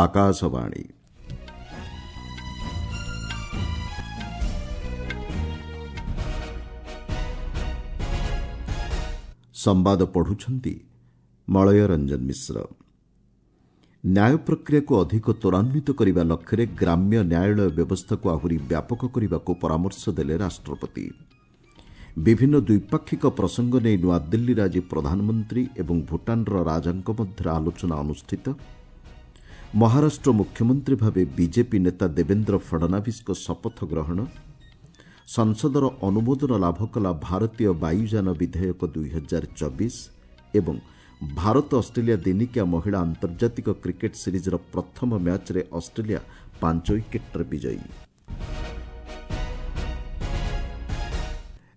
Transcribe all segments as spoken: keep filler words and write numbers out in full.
ଆକାଶବାଣୀ। ସମ୍ବାଦ ପଢୁଛନ୍ତି ମଳୟ ରଞ୍ଜନ ମିଶ୍ର। ନ୍ୟାୟ ପ୍ରକ୍ରିୟାକୁ ଅଧିକ ତ୍ୱରାନ୍ୱିତ କରିବା ଲକ୍ଷ୍ୟରେ ଗ୍ରାମ୍ୟ ନ୍ୟାୟାଳୟ ବ୍ୟବସ୍ଥାକୁ ଆହୁରି ବ୍ୟାପକ କରିବାକୁ ପରାମର୍ଶ ଦେଲେ ରାଷ୍ଟ୍ରପତି। ବିଭିନ୍ନ ଦ୍ୱିପାକ୍ଷିକ ପ୍ରସଙ୍ଗ ନେଇ ନୂଆଦିଲ୍ଲୀରେ ଆଜି ପ୍ରଧାନମନ୍ତ୍ରୀ ଏବଂ ଭୁଟାନର ରାଜାଙ୍କ ମଧ୍ୟରେ ଆଲୋଚନା ଅନୁଷ୍ଠିତ। ମହାରାଷ୍ଟ୍ର ମୁଖ୍ୟମନ୍ତ୍ରୀ ଭାବେ ବିଜେପି ନେତା ଦେବେନ୍ଦ୍ର ଫଡ଼ନାଭିସ୍ଙ୍କ ଶପଥ ଗ୍ରହଣ। ସଂସଦର ଅନୁମୋଦନ ଲାଭ କଲା ଭାରତୀୟ ବାୟୁଯାନ ବିଧେୟକ ଦୁଇହଜାର ଚବିଶ ଏବଂ ଭାରତ ଅଷ୍ଟ୍ରେଲିଆ ଦିନିକିଆ ମହିଳା ଆନ୍ତର୍ଜାତିକ କ୍ରିକେଟ୍ ସିରିଜ୍ର ପ୍ରଥମ ମ୍ୟାଚ୍ରେ ଅଷ୍ଟ୍ରେଲିଆ ପାଞ୍ଚ ୱିକେଟ୍ରେ ବିଜୟୀ।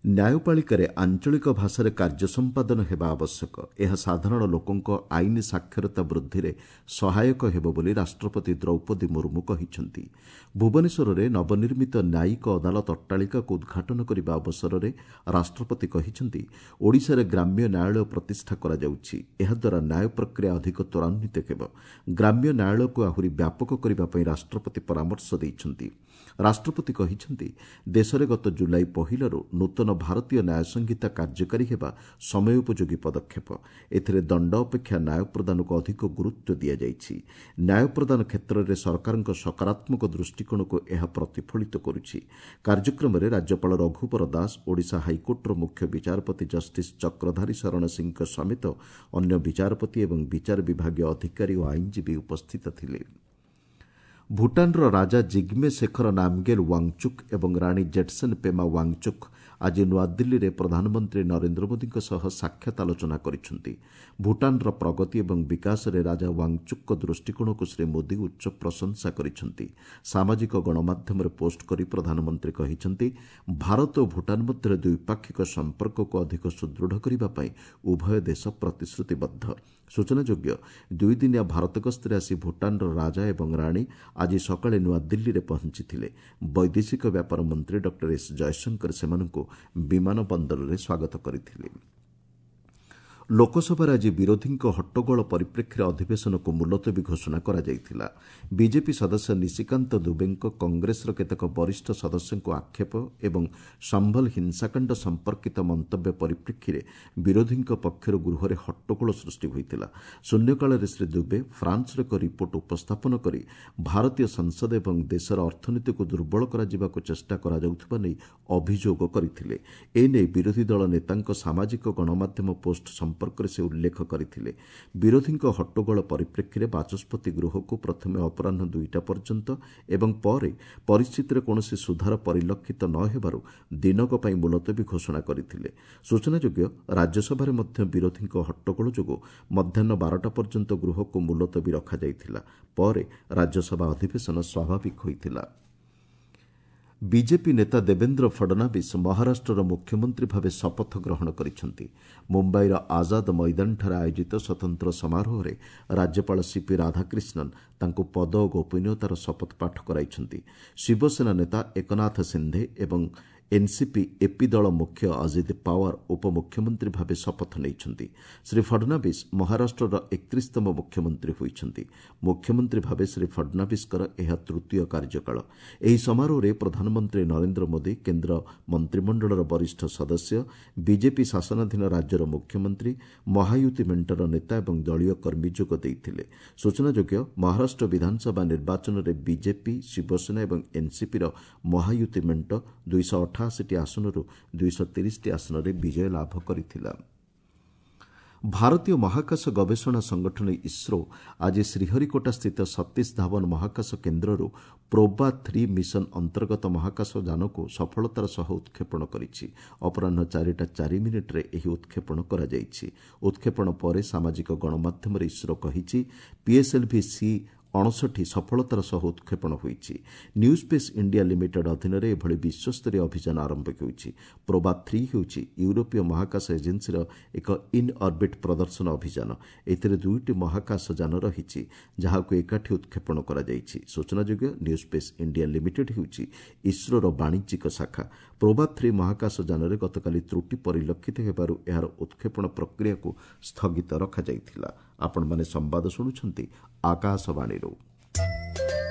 ନ୍ୟାୟପାଳିକାରେ ଆଞ୍ଚଳିକ ଭାଷାରେ କାର୍ଯ୍ୟ ସମ୍ପାଦନ ହେବା ଆବଶ୍ୟକ। ଏହା ସାଧାରଣ ଲୋକଙ୍କ ଆଇନ ସାକ୍ଷରତା ବୃଦ୍ଧିରେ ସହାୟକ ହେବ ବୋଲି ରାଷ୍ଟ୍ରପତି ଦ୍ରୌପଦୀ ମୁର୍ମୁ କହିଛନ୍ତି। ଭୁବନେଶ୍ୱରରେ ନବନିର୍ମିତ ନ୍ୟାୟିକ ଅଦାଲତ ଅଟ୍ଟାଳିକାକୁ ଉଦ୍ଘାଟନ କରିବା ଅବସରରେ ରାଷ୍ଟ୍ରପତି କହିଛନ୍ତି, ଓଡ଼ିଶାରେ ଗ୍ରାମ୍ୟ ନ୍ୟାୟାଳୟ ପ୍ରତିଷ୍ଠା କରାଯାଉଛି। ଏହାଦ୍ୱାରା ନ୍ୟାୟ ପ୍ରକ୍ରିୟା ଅଧିକ ତ୍ୱରାନ୍ୱିତ ହେବ। ଗ୍ରାମ୍ୟ ନ୍ୟାୟାଳୟକୁ ଆହୁରି ବ୍ୟାପକ କରିବା ପାଇଁ ରାଷ୍ଟ୍ରପତି ପରାମର୍ଶ ଦେଇଛନ୍ତି। ରାଷ୍ଟ୍ରପତି କହିଛନ୍ତି, ଦେଶରେ ଗତ ଜୁଲାଇ ପହିଲାରୁ ନୂତନ ଭାରତୀୟ ନ୍ୟାୟ ସଂହିତା କାର୍ଯ୍ୟକାରୀ ହେବା ସମୟୋପଯୋଗୀ ପଦକ୍ଷେପ। ଏଥିରେ ଦଣ୍ଡ ଅପେକ୍ଷା ନ୍ୟାୟ ପ୍ରଦାନକୁ ଅଧିକ ଗୁରୁତ୍ୱ ଦିଆଯାଇଛି। ନ୍ୟାୟ ପ୍ରଦାନ କ୍ଷେତ୍ରରେ ସରକାରଙ୍କ ସକାରାତ୍ମକ ଦୃଷ୍ଟିକୋଣକୁ ଏହା ପ୍ରତିଫଳିତ କରୁଛି। କାର୍ଯ୍ୟକ୍ରମରେ ରାଜ୍ୟପାଳ ରଘୁବର ଦାସ, ଓଡ଼ିଶା ହାଇକୋର୍ଟର ମୁଖ୍ୟ ବିଚାରପତି ଜଷ୍ଟିସ୍ ଚକ୍ରଧାରୀ ଶରଣ ସିଂଙ୍କ ସମେତ ଅନ୍ୟ ବିଚାରପତି ଏବଂ ବିଚାର ବିଭାଗୀୟ ଅଧିକାରୀ ଓ ଆଇନଜୀବୀ ଉପସ୍ଥିତ ଥିଲେ। ଭୁଟାନର ରାଜା ଜିଗ୍ମେ ଶେଖର ନାମଗେଲ୍ ୱାଙ୍ଗଚୁକ୍ ଏବଂ ରାଣୀ ଜେଟ୍ସନ୍ ପେମା ୱାଙ୍ଗଚୁକ୍ ଆଜି ନୂଆଦିଲ୍ଲୀରେ ପ୍ରଧାନମନ୍ତ୍ରୀ ନରେନ୍ଦ୍ର ମୋଦିଙ୍କ ସହ ସାକ୍ଷାତ ଆଲୋଚନା କରିଛନ୍ତି। ଭୁଟାନର ପ୍ରଗତି ଏବଂ ବିକାଶରେ ରାଜା ୱାଙ୍ଗଚୁକ୍ଙ୍କ ଦୃଷ୍ଟିକୋଣକୁ ଶ୍ରୀ ମୋଦି ଉଚ୍ଚ ପ୍ରଶଂସା କରିଛନ୍ତି। ସାମାଜିକ ଗଣମାଧ୍ୟମରେ ପୋଷ୍ଟ କରି ପ୍ରଧାନମନ୍ତ୍ରୀ କହିଛନ୍ତି, ଭାରତ ଓ ଭୁଟାନ ମଧ୍ୟରେ ଦ୍ୱିପାକ୍ଷିକ ସମ୍ପର୍କକୁ ଅଧିକ ସୁଦୃଢ଼ କରିବା ପାଇଁ ଉଭୟ ଦେଶ ପ୍ରତିଶ୍ରୁତିବଦ୍ଧ। ସୂଚନାଯୋଗ୍ୟ, ଦୁଇଦିନିଆ ଭାରତ ଗସ୍ତରେ ଆସି ଭୁଟାନର ରାଜା ଏବଂ ରାଣୀ ଆଜି ସକାଳେ ନୂଆଦିଲ୍ଲୀରେ ପହଞ୍ଚିଥିଲେ। ବୈଦେଶିକ ବ୍ୟାପାର ମନ୍ତ୍ରୀ ଡକ୍ଟର ଏସ୍ ଜୟଶଙ୍କର ସେମାନଙ୍କୁ ବିମାନ ବନ୍ଦରରେ ସ୍ୱାଗତ କରିଥିଲେ। ଲୋକସଭାରେ ଆଜି ବିରୋଧୀଙ୍କ ହଟ୍ଟଗୋଳ ପରିପ୍ରେକ୍ଷୀରେ ଅଧିବେଶନକୁ ମୁଲତବୀ ଘୋଷଣା କରାଯାଇଥିଲା। ବିଜେପି ସଦସ୍ୟ ନିଶିକାନ୍ତ ଦୁବେଙ୍କ କଂଗ୍ରେସର କେତେକ ବରିଷ୍ଠ ସଦସ୍ୟଙ୍କୁ ଆକ୍ଷେପ ଏବଂ ସମ୍ଭଲ ହିଂସାକାଣ୍ଡ ସମ୍ପର୍କିତ ମନ୍ତବ୍ୟ ପରିପ୍ରେକ୍ଷୀରେ ବିରୋଧୀଙ୍କ ପକ୍ଷରୁ ଗୃହରେ ହଟ୍ଟଗୋଳ ସୃଷ୍ଟି ହୋଇଥିଲା। ଶୂନ୍ୟକାଳରେ ଶ୍ରୀ ଦୁବେ ଫ୍ରାନ୍ସର ଏକ ରିପୋର୍ଟ ଉପସ୍ଥାପନ କରି ଭାରତୀୟ ସଂସଦ ଏବଂ ଦେଶର ଅର୍ଥନୀତିକୁ ଦୁର୍ବଳ କରାଯିବାକୁ ଚେଷ୍ଟା କରାଯାଉଥିବା ନେଇ ଅଭିଯୋଗ କରିଥିଲେ। ଏନେଇ ବିରୋଧୀ ଦଳ ନେତାଙ୍କ ସାମାଜିକ ଗଣମାଧ୍ୟମ ପୋଷ୍ଟ ସମ୍ପର୍କରେ ସେ ଉଲ୍ଲେଖ କରିଥିଲେ। ବିରୋଧୀଙ୍କ ହଟ୍ଟଗୋଳ ପରିପ୍ରେକ୍ଷୀରେ ବାଚସ୍ପତି ଗୃହକୁ ପ୍ରଥମେ ଅପରାହ୍ନ ଦୁଇଟା ପର୍ଯ୍ୟନ୍ତ ଏବଂ ପରେ ପରିସ୍ଥିତିରେ କୌଣସି ସୁଧାର ପରିଲକ୍ଷିତ ନ ହେବାରୁ ଦିନକ ପାଇଁ ମୁଲତବୀ ଘୋଷଣା କରିଥିଲେ। ସୂଚନାଯୋଗ୍ୟ, ରାଜ୍ୟସଭାରେ ମଧ୍ୟ ବିରୋଧୀଙ୍କ ହଟ୍ଟଗୋଳ ଯୋଗୁଁ ମଧ୍ୟାହ୍ନ ବାରଟା ପର୍ଯ୍ୟନ୍ତ ଗୃହକୁ ମୁଲତବୀ ରଖାଯାଇଥିଲା। ପରେ ରାଜ୍ୟସଭା ଅଧିବେଶନ ସ୍ୱାଭାବିକ ହୋଇଥିଲା। ବିଜେପି ନେତା ଦେବେନ୍ଦ୍ର ଫଡ଼ନାଭିସ୍ ମହାରାଷ୍ଟ୍ରର ମୁଖ୍ୟମନ୍ତ୍ରୀ ଭାବେ ଶପଥ ଗ୍ରହଣ କରିଛନ୍ତି। ମୁମ୍ବାଇର ଆଜାଦ ମଇଦାନଠାରେ ଆୟୋଜିତ ସ୍ୱତନ୍ତ୍ର ସମାରୋହରେ ରାଜ୍ୟପାଳ ସିପି ରାଧାକ୍ରିଷ୍ଣନ୍ ତାଙ୍କୁ ପଦ ଓ ଗୋପନୀୟତାର ଶପଥ ପାଠ କରାଇଛନ୍ତି। ଶିବସେନା ନେତା ଏକନାଥ ସିନ୍ଧେ ଏବଂ ଏନ୍ସିପି ଏପି ଦଳ ମୁଖ୍ୟ ଅଜିତ ପାୱାର ଉପମୁଖ୍ୟମନ୍ତ୍ରୀ ଭାବେ ଶପଥ ନେଇଛନ୍ତି। ଶ୍ରୀ ଫଡ଼ନାଭିସ୍ ମହାରାଷ୍ଟ୍ରର ଏକତିରିଶତମ ମୁଖ୍ୟମନ୍ତ୍ରୀ ହୋଇଛନ୍ତି। ମୁଖ୍ୟମନ୍ତ୍ରୀ ଭାବେ ଶ୍ରୀ ଫଡ଼ନାଭିସ୍ଙ୍କର ଏହା ତୃତୀୟ କାର୍ଯ୍ୟକାଳ। ଏହି ସମାରୋହରେ ପ୍ରଧାନମନ୍ତ୍ରୀ ନରେନ୍ଦ୍ର ମୋଦି, କେନ୍ଦ୍ର ମନ୍ତ୍ରିମଣ୍ଡଳର ବରିଷ୍ଠ ସଦସ୍ୟ, ବିଜେପି ଶାସନାଧୀନ ରାଜ୍ୟର ମୁଖ୍ୟମନ୍ତ୍ରୀ, ମହାୟୁତି ମେଣ୍ଟର ନେତା ଏବଂ ଦଳୀୟ କର୍ମୀ ଯୋଗ ଦେଇଥିଲେ। ସୂଚନାଯୋଗ୍ୟ, ମହାରାଷ୍ଟ୍ର ବିଧାନସଭା ନିର୍ବାଚନରେ ବିଜେପି, ଶିବସେନା ଏବଂ ଏନ୍ସିପିର ମହାୟୁତି ମେଣ୍ଟ ଦୁଇଶହ ଅଠାଅଶୀଟି ଆସନରୁ ଦୁଇଶହ ତିରିଶଟି ଆସନରେ ବିଜୟ ଲାଭ କରିଥିଲା। ଭାରତୀୟ ମହାକାଶ ଗବେଷଣା ସଂଗଠନ ଇସ୍ରୋ ଆଜି ଶ୍ରୀହରିକୋଟାସ୍ଥିତ ସତୀଶ ଧାୱନ ମହାକାଶ କେନ୍ଦ୍ରରୁ ପ୍ରୋବା ଥ୍ରୀ ମିଶନ ଅନ୍ତର୍ଗତ ମହାକାଶ ଯାନକୁ ସଫଳତାର ସହ ଉତ୍କ୍ଷେପଣ କରିଛି। ଅପରାହ୍ନ ଚାରିଟା ଚାରି ମିନିଟ୍ରେ ଏହି ଉତ୍କ୍ଷେପଣ କରାଯାଇଛି। ଉତ୍କ୍ଷେପଣ ପରେ ସାମାଜିକ ଗଣମାଧ୍ୟମରେ ଇସ୍ରୋ କହିଛି, ପିଏସ୍ଏଲ୍ଭି ସି ଅଣଷଠି ସଫଳତାର ସହ ଉତ୍କ୍ଷେପଣ ହୋଇଛି। ନ୍ୟୁ ସ୍ପେସ୍ ଇଣ୍ଡିଆ ଲିମିଟେଡ୍ ଅଧୀନରେ ଏଭଳି ବିଶ୍ୱସ୍ତରୀୟ ଅଭିଯାନ ଆରମ୍ଭ ହେଉଛି। ପ୍ରୋବା ଥ୍ରୀ ହେଉଛି ୟୁରୋପୀୟ ମହାକାଶ ଏଜେନ୍ସିର ଏକ ଇନ୍ ଅର୍ବିଟ୍ ପ୍ରଦର୍ଶନ ଅଭିଯାନ। ଏଥିରେ ଦୁଇଟି ମହାକାଶ ଯାନ ରହିଛି, ଯାହାକୁ ଏକାଠି ଉତ୍କ୍ଷେପଣ କରାଯାଇଛି। ସୂଚନାଯୋଗ୍ୟ, ନ୍ୟୁ ସ୍ପେସ୍ ଇଣ୍ଡିଆ ଲିମିଟେଡ୍ ହେଉଛି ଇସ୍ରୋର ବାଣିଜ୍ୟିକ ଶାଖା। ପ୍ରୋବା ଥ୍ରୀ ମହାକାଶ ଯାନରେ ଗତକାଲି ତ୍ରୁଟି ପରିଲକ୍ଷିତ ହେବାରୁ ଏହାର ଉତ୍କ୍ଷେପଣ ପ୍ରକ୍ରିୟାକୁ ସ୍ଥଗିତ ରଖାଯାଇଥିଲା। ଆପଣମାନେ ସମ୍ବାଦ ଶୁଣୁଛନ୍ତି ଆକାଶବାଣୀରୁ।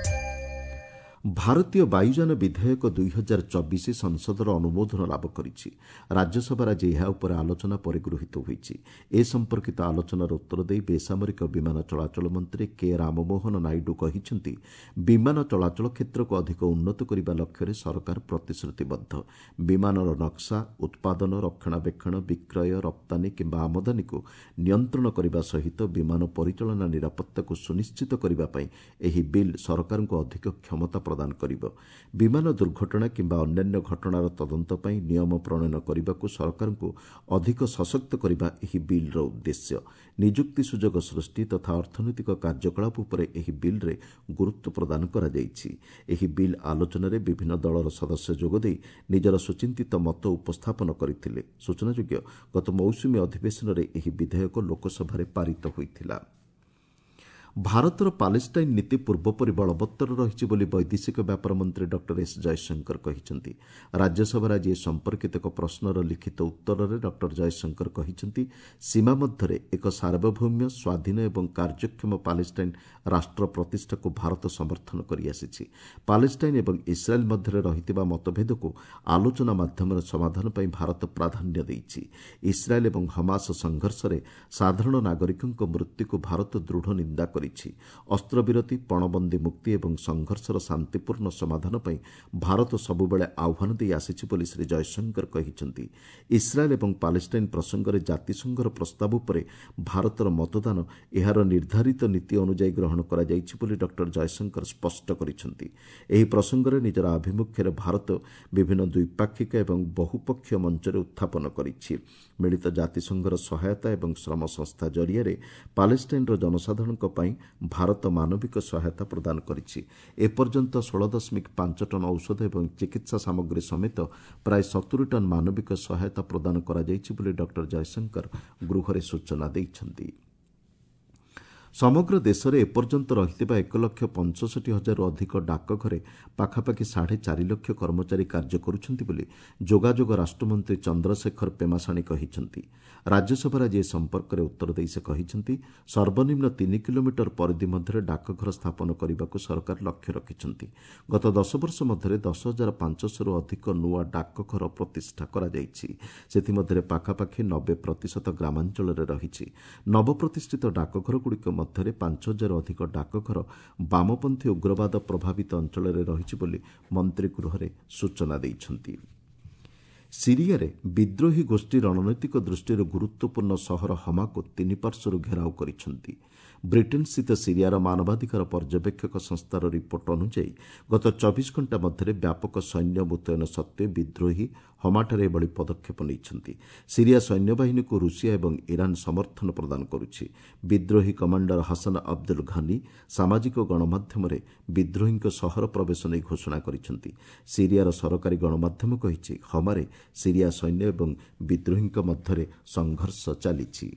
ଭାରତୀୟ ବାୟୁଯାନ ବିଧେୟକ ଦୁଇ ହଜାର ଚବିଶ ସଂସଦର ଅନୁମୋଦନ ଲାଭ କରିଛି। ରାଜ୍ୟସଭାରେ ଆଜି ଏହା ଉପରେ ଆଲୋଚନା ପରେ ଗୃହୀତ ହୋଇଛି। ଏ ସମ୍ପର୍କିତ ଆଲୋଚନାର ଉତ୍ତର ଦେଇ ବେସାମରିକ ବିମାନ ଚଳାଚଳ ମନ୍ତ୍ରୀ କେ ରାମମୋହନ ନାଇଡୁ କହିଛନ୍ତି, ବିମାନ ଚଳାଚଳ କ୍ଷେତ୍ରକୁ ଅଧିକ ଉନ୍ନତ କରିବା ଲକ୍ଷ୍ୟରେ ସରକାର ପ୍ରତିଶ୍ରୁତିବଦ୍ଧ। ବିମାନର ନକ୍ସା, ଉତ୍ପାଦନ, ରକ୍ଷଣାବେକ୍ଷଣ, ବିକ୍ରୟ, ରପ୍ତାନୀ କିମ୍ବା ଆମଦାନୀକୁ ନିୟନ୍ତ୍ରଣ କରିବା ସହିତ ବିମାନ ପରିଚାଳନା ନିରାପତ୍ତାକୁ ସୁନିଶ୍ଚିତ କରିବା ପାଇଁ ଏହି ବିଲ୍ ସରକାରଙ୍କୁ ଅଧିକ କ୍ଷମତା ପ୍ରଦାନ କରିବ। ବିମାନ ଦୁର୍ଘଟଣା କିମ୍ବା ଅନ୍ୟାନ୍ୟ ଘଟଣାର ତଦନ୍ତ ପାଇଁ ନିୟମ ପ୍ରଣୟନ କରିବାକୁ ସରକାରଙ୍କୁ ଅଧିକ ସଶକ୍ତ କରିବା ଏହି ବିଲ୍ର ଉଦ୍ଦେଶ୍ୟ। ନିଯୁକ୍ତି ସୁଯୋଗ ସୃଷ୍ଟି ତଥା ଅର୍ଥନୈତିକ କାର୍ଯ୍ୟକଳାପ ଉପରେ ଏହି ବିଲ୍ରେ ଗୁରୁତ୍ୱ ପ୍ରଦାନ କରାଯାଇଛି। ଏହି ବିଲ୍ ଆଲୋଚନାରେ ବିଭିନ୍ନ ଦଳର ସଦସ୍ୟ ଯୋଗଦେଇ ନିଜର ସୁଚିନ୍ତିତ ମତ ଉପସ୍ଥାପନ କରିଥିଲେ। ସୂଚନାଯୋଗ୍ୟ, ଗତ ମୌସୁମୀ ଅଧିବେଶନରେ ଏହି ବିଧେୟକ ଲୋକସଭାରେ ପାରିତ ହୋଇଥିଲା। ଭାରତର ପାଲେଷ୍ଟାଇନ୍ ନୀତି ପୂର୍ବପରି ବଳବତ୍ତର ରହିଛି ବୋଲି ବୈଦେଶିକ ବ୍ୟାପାର ମନ୍ତ୍ରୀ ଡକ୍ଟର ଏସ୍ ଜୟଶଙ୍କର କହିଛନ୍ତି। ରାଜ୍ୟସଭାରେ ଆଜି ଏ ସମ୍ପର୍କିତ ଏକ ପ୍ରଶ୍ନର ଲିଖିତ ଉତ୍ତରରେ ଡକ୍ଟର ଜୟଶଙ୍କର କହିଛନ୍ତି, ସୀମା ମଧ୍ୟରେ ଏକ ସାର୍ବଭୌମ୍ୟ, ସ୍ୱାଧୀନ ଏବଂ କାର୍ଯ୍ୟକ୍ଷମ ପାଲେଷ୍ଟାଇନ୍ ରାଷ୍ଟ୍ର ପ୍ରତିଷ୍ଠାକୁ ଭାରତ ସମର୍ଥନ କରିଆସିଛି। ପାଲେଷ୍ଟାଇନ୍ ଏବଂ ଇସ୍ରାଏଲ୍ ମଧ୍ୟରେ ରହିଥିବା ମତଭେଦକୁ ଆଲୋଚନା ମାଧ୍ୟମରେ ସମାଧାନ ପାଇଁ ଭାରତ ପ୍ରାଧାନ୍ୟ ଦେଇଛି। ଇସ୍ରାଏଲ୍ ଏବଂ ହମାସ ସଂଘର୍ଷରେ ସାଧାରଣ ନାଗରିକଙ୍କ ମୃତ୍ୟୁକୁ ଭାରତ ଦୃଢ଼ ନିନ୍ଦା କରିଛି। ଅସ୍ତ୍ରବିରତି, ପଣବନ୍ଦୀ ମୁକ୍ତି ଏବଂ ସଂଘର୍ଷର ଶାନ୍ତିପୂର୍ଣ୍ଣ ସମାଧାନ ପାଇଁ ଭାରତ ସବୁବେଳେ ଆହ୍ୱାନ ଦେଇ ଆସିଛି ବୋଲି ଶ୍ରୀ ଜୟଶଙ୍କର କହିଛନ୍ତି। ଇସ୍ରାଏଲ୍ ଏବଂ ପାଲେଷ୍ଟାଇନ୍ ପ୍ରସଙ୍ଗରେ ଜାତିସଂଘର ପ୍ରସ୍ତାବ ଉପରେ ଭାରତର ମତଦାନ ଏହାର ନିର୍ଦ୍ଧାରିତ ନୀତି ଅନୁଯାୟୀ ଗ୍ରହଣ କରାଯାଇଛି ବୋଲି ଡକ୍ଟର ଜୟଶଙ୍କର ସ୍ପଷ୍ଟ କରିଛନ୍ତି। ଏହି ପ୍ରସଙ୍ଗରେ ନିଜର ଆଭିମୁଖ୍ୟରେ ଭାରତ ବିଭିନ୍ନ ଦ୍ୱିପାକ୍ଷିକ ଏବଂ ବହୁପକ୍ଷୀୟ ମଞ୍ଚରେ ଉତ୍ଥାପନ କରିଛି। ମିଳିତ ଜାତିସଂଘର ସହାୟତା ଏବଂ ଶ୍ରମ ସଂସ୍ଥା ଜରିଆରେ ପାଲେଷ୍ଟାଇନ୍ର ଜନସାଧାରଣଙ୍କ ପାଇଁ ଭାରତ ମାନବିକ ସହାୟତା ପ୍ରଦାନ କରିଛି। ଏପର୍ଯ୍ୟନ୍ତ ଷୋହଳ ଦଶମିକ ପାଞ୍ଚ ଟନ୍ ଔଷଧ ଏବଂ ଚିକିତ୍ସା ସାମଗ୍ରୀ ସମେତ ପ୍ରାୟ ସତୁରି ଟନ୍ ମାନବିକ ସହାୟତା ପ୍ରଦାନ କରାଯାଇଛି ବୋଲି ଡକ୍ଟର ଜୟଶଙ୍କର ଗୃହରେ ସୂଚନା ଦେଇଛନ୍ତି। ସମଗ୍ର ଦେଶରେ ଏପର୍ଯ୍ୟନ୍ତ ରହିଥିବା ଏକ ଲକ୍ଷ ପଞ୍ଚଷଠି ହଜାରରୁ ଅଧିକ ଡାକଘରେ ପାଖାପାଖି ସାଢ଼େ ଚାରି ଲକ୍ଷ କର୍ମଚାରୀ କାର୍ଯ୍ୟ କରୁଛନ୍ତି ବୋଲି ଯୋଗାଯୋଗ ରାଷ୍ଟ୍ରମନ୍ତ୍ରୀ ଚନ୍ଦ୍ରଶେଖର ପେମାସାଣୀ କହିଛନ୍ତି। ରାଜ୍ୟସଭାରେ ଆଜି ଏ ସମ୍ପର୍କରେ ଉତ୍ତର ଦେଇ ସେ କହିଛନ୍ତି, ସର୍ବନିମ୍ନ ତିନି କିଲୋମିଟର ପରିଧି ମଧ୍ୟରେ ଡାକଘର ସ୍ଥାପନ କରିବାକୁ ସରକାର ଲକ୍ଷ୍ୟ ରଖିଛନ୍ତି। ଗତ ଦଶ ବର୍ଷ ମଧ୍ୟରେ ଦଶ ହଜାର ପାଞ୍ଚଶହରୁ ଅଧିକ ନୂଆ ଡାକଘର ପ୍ରତିଷ୍ଠା କରାଯାଇଛି। ସେଥିମଧ୍ୟରେ ପାଖାପାଖି ନବେ ପ୍ରତିଶତ ଗ୍ରାମାଞ୍ଚଳରେ ରହିଛି। ନବପ୍ରତିଷ୍ଠିତ ଡାକଘରଗୁଡ଼ିକ ମଧ୍ୟରେ ପାଞ୍ଚ ହଜାର ଅଧିକ ଡାକଘର ବାମପନ୍ଥୀ ଉଗ୍ରବାଦ ପ୍ରଭାବିତ ଅଞ୍ଚଳରେ ରହିଛି ବୋଲି ମନ୍ତ୍ରୀ ଗୃହରେ ସୂଚନା ଦେଇଛନ୍ତି। ସିରିଆରେ ବିଦ୍ରୋହୀ ଗୋଷ୍ଠୀ ରଣନୈତିକ ଦୃଷ୍ଟିରୁ ଗୁରୁତ୍ୱପୂର୍ଣ୍ଣ ସହର ହମାକୁ ତିନି ପାର୍ଶ୍ୱରୁ ଘେରାଉ କରିଛନ୍ତି। ବ୍ରିଟେନ୍ସ୍ଥିତ ସିରିଆର ମାନବାଧିକାର ପର୍ଯ୍ୟବେକ୍ଷକ ସଂସ୍ଥାର ରିପୋର୍ଟ ଅନୁଯାୟୀ ଗତ ଚବିଶ ଘଣ୍ଟା ମଧ୍ୟରେ ବ୍ୟାପକ ସୈନ୍ୟ ମୁତୟନ ସତ୍ତ୍ୱେ ବିଦ୍ରୋହୀ ହମାଠାରେ ଏଭଳି ପଦକ୍ଷେପ ନେଇଛନ୍ତି। ସିରିଆ ସୈନ୍ୟବାହିନୀକୁ ରୁଷିଆ ଏବଂ ଇରାନ୍ ସମର୍ଥନ ପ୍ରଦାନ କରୁଛି। ବିଦ୍ରୋହୀ କମାଣ୍ଡର ହସନ ଅବଦୁଲ ଘନି ସାମାଜିକ ଗଣମାଧ୍ୟମରେ ବିଦ୍ରୋହୀଙ୍କ ସହର ପ୍ରବେଶ ନେଇ ଘୋଷଣା କରିଛନ୍ତି। ସିରିଆର ସରକାରୀ ଗଣମାଧ୍ୟମ କହିଛି, ହମାରେ ସିରିଆ ସୈନ୍ୟ ଏବଂ ବିଦ୍ରୋହୀଙ୍କ ମଧ୍ୟରେ ସଂଘର୍ଷ ଚାଲିଛି।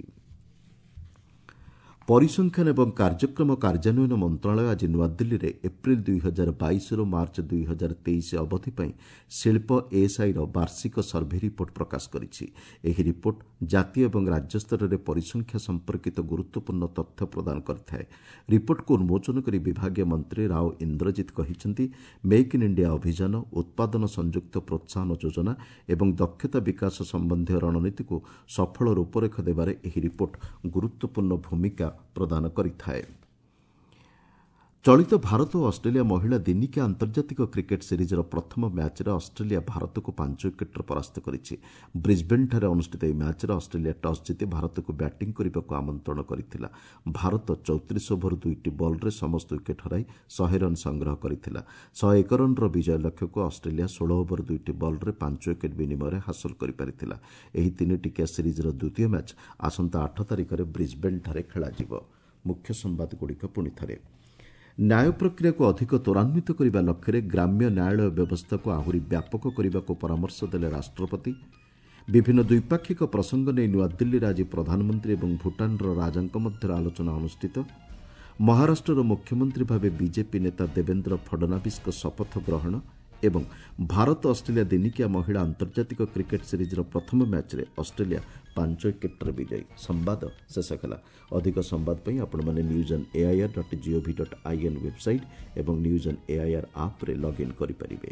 ପରିସଂଖ୍ୟାନ ଏବଂ କାର୍ଯ୍ୟକ୍ରମ କାର୍ଯ୍ୟାନ୍ୱୟନ ମନ୍ତ୍ରଣାଳୟ ଆଜି ନୂଆଦିଲ୍ଲୀରେ ଏପ୍ରିଲ ଦୁଇ ହଜାର ବାଇଶରୁ ମାର୍ଚ୍ଚ ଦୁଇ ହଜାର ତେଇଶ ଅବଧି ପାଇଁ ଶିଳ୍ପ ଏଏସ୍ଆଇର ବାର୍ଷିକ ସର୍ଭେ ରିପୋର୍ଟ ପ୍ରକାଶ କରିଛି। ଏହି ରିପୋର୍ଟ ଜାତୀୟ ଏବଂ ରାଜ୍ୟ ସ୍ତରରେ ପରିସଂଖ୍ୟା ସମ୍ପର୍କିତ ଗୁରୁତ୍ୱପୂର୍ଣ୍ଣ ତଥ୍ୟ ପ୍ରଦାନ କରିଥାଏ। ରିପୋର୍ଟକୁ ଉନ୍ମୋଚନ କରି ବିଭାଗୀୟ ମନ୍ତ୍ରୀ ରାଓ ଇନ୍ଦ୍ରଜିତ କହିଛନ୍ତି, ମେକ୍ ଇନ୍ ଇଣ୍ଡିଆ ଅଭିଯାନ, ଉତ୍ପାଦନ ସଂଯୁକ୍ତ ପ୍ରୋତ୍ସାହନ ଯୋଜନା ଏବଂ ଦକ୍ଷତା ବିକାଶ ସମ୍ବନ୍ଧୀୟ ରଣନୀତିକୁ ସଫଳ ରୂପରେଖ ଦେବାରେ ଏହି ରିପୋର୍ଟ ଗୁରୁତ୍ୱପୂର୍ଣ୍ଣ ଭୂମିକା ପ୍ରଦାନ କରିଥାଏ। ଚଳିତ ଭାରତ ଓ ଅଷ୍ଟ୍ରେଲିଆ ମହିଳା ଦିନିକିଆ ଆନ୍ତର୍ଜାତିକ କ୍ରିକେଟ୍ ସିରିଜ୍ର ପ୍ରଥମ ମ୍ୟାଚ୍ରେ ଅଷ୍ଟ୍ରେଲିଆ ଭାରତକୁ ପାଞ୍ଚ ୱିକେଟ୍ରେ ପରାସ୍ତ କରିଛି। ବ୍ରିଜ୍ବେନ୍ଠାରେ ଅନୁଷ୍ଠିତ ଏହି ମ୍ୟାଚ୍ରେ ଅଷ୍ଟ୍ରେଲିଆ ଟସ୍ ଜିତି ଭାରତକୁ ବ୍ୟାଟିଂ କରିବାକୁ ଆମନ୍ତ୍ରଣ କରିଥିଲା। ଭାରତ ଚଉତିରିଶ ଓଭର ଦୁଇଟି ବଲ୍ରେ ସମସ୍ତ ୱିକେଟ୍ ହରାଇ ଶହେ ରନ୍ ସଂଗ୍ରହ କରିଥିଲା। ଶହେ ଏକ ରନ୍ର ବିଜୟ ଲକ୍ଷ୍ୟକୁ ଅଷ୍ଟ୍ରେଲିଆ ଷୋହଳ ଓଭର ଦୁଇଟି ବଲ୍ରେ ପାଞ୍ଚ ୱିକେଟ୍ ବିନିମୟରେ ହାସଲ କରିପାରିଥିଲା। ଏହି ତିନି ଟିକିଆ ସିରିଜ୍ର ଦ୍ୱିତୀୟ ମ୍ୟାଚ୍ ଆସନ୍ତା ଆଠ ତାରିଖରେ ବ୍ରିଜ୍ବେନ୍ଠାରେ ଖେଳାଯିବ। ମୁଖ୍ୟ ସମ୍ବାଦଗୁଡ଼ିକ ପୁଣି ଥରେ। ନ୍ୟାୟ ପ୍ରକ୍ରିୟାକୁ ଅଧିକ ତ୍ୱରାନ୍ୱିତ କରିବା ଲକ୍ଷ୍ୟରେ ଗ୍ରାମ୍ୟ ନ୍ୟାୟାଳୟ ବ୍ୟବସ୍ଥାକୁ ଆହୁରି ବ୍ୟାପକ କରିବାକୁ ପରାମର୍ଶ ଦେଲେ ରାଷ୍ଟ୍ରପତି। ବିଭିନ୍ନ ଦ୍ୱିପାକ୍ଷିକ ପ୍ରସଙ୍ଗ ନେଇ ନୂଆଦିଲ୍ଲୀରେ ଆଜି ପ୍ରଧାନମନ୍ତ୍ରୀ ଏବଂ ଭୁଟାନର ରାଜାଙ୍କ ମଧ୍ୟରେ ଆଲୋଚନା ଅନୁଷ୍ଠିତ। ମହାରାଷ୍ଟ୍ରର ମୁଖ୍ୟମନ୍ତ୍ରୀ ଭାବେ ବିଜେପି ନେତା ଦେବେନ୍ଦ୍ର ଫଡନାବିସ୍ଙ୍କ ଶପଥ ଗ୍ରହଣ ଏବଂ ଭାରତ ଅଷ୍ଟ୍ରେଲିଆ ଦିନିକିଆ ମହିଳା ଆନ୍ତର୍ଜାତିକ କ୍ରିକେଟ୍ ସିରିଜ୍ର ପ୍ରଥମ ମ୍ୟାଚ୍ରେ ଅଷ୍ଟ୍ରେଲିଆ ପାଞ୍ଚ ୱିକେଟ୍ରେ ବିଜୟୀ। ସମ୍ବାଦ ଶେଷ ହେଲା। ଅଧିକ ସମ୍ବାଦ ପାଇଁ ଆପଣମାନେ news on AIR dot GOV dot IN website ଏବଂ ନ୍ୟୁଜ୍ ଅନ୍ ଏଆଇଆର୍ ଆପ୍ରେ ଲଗ୍ଇନ୍ କରିପାରିବେ।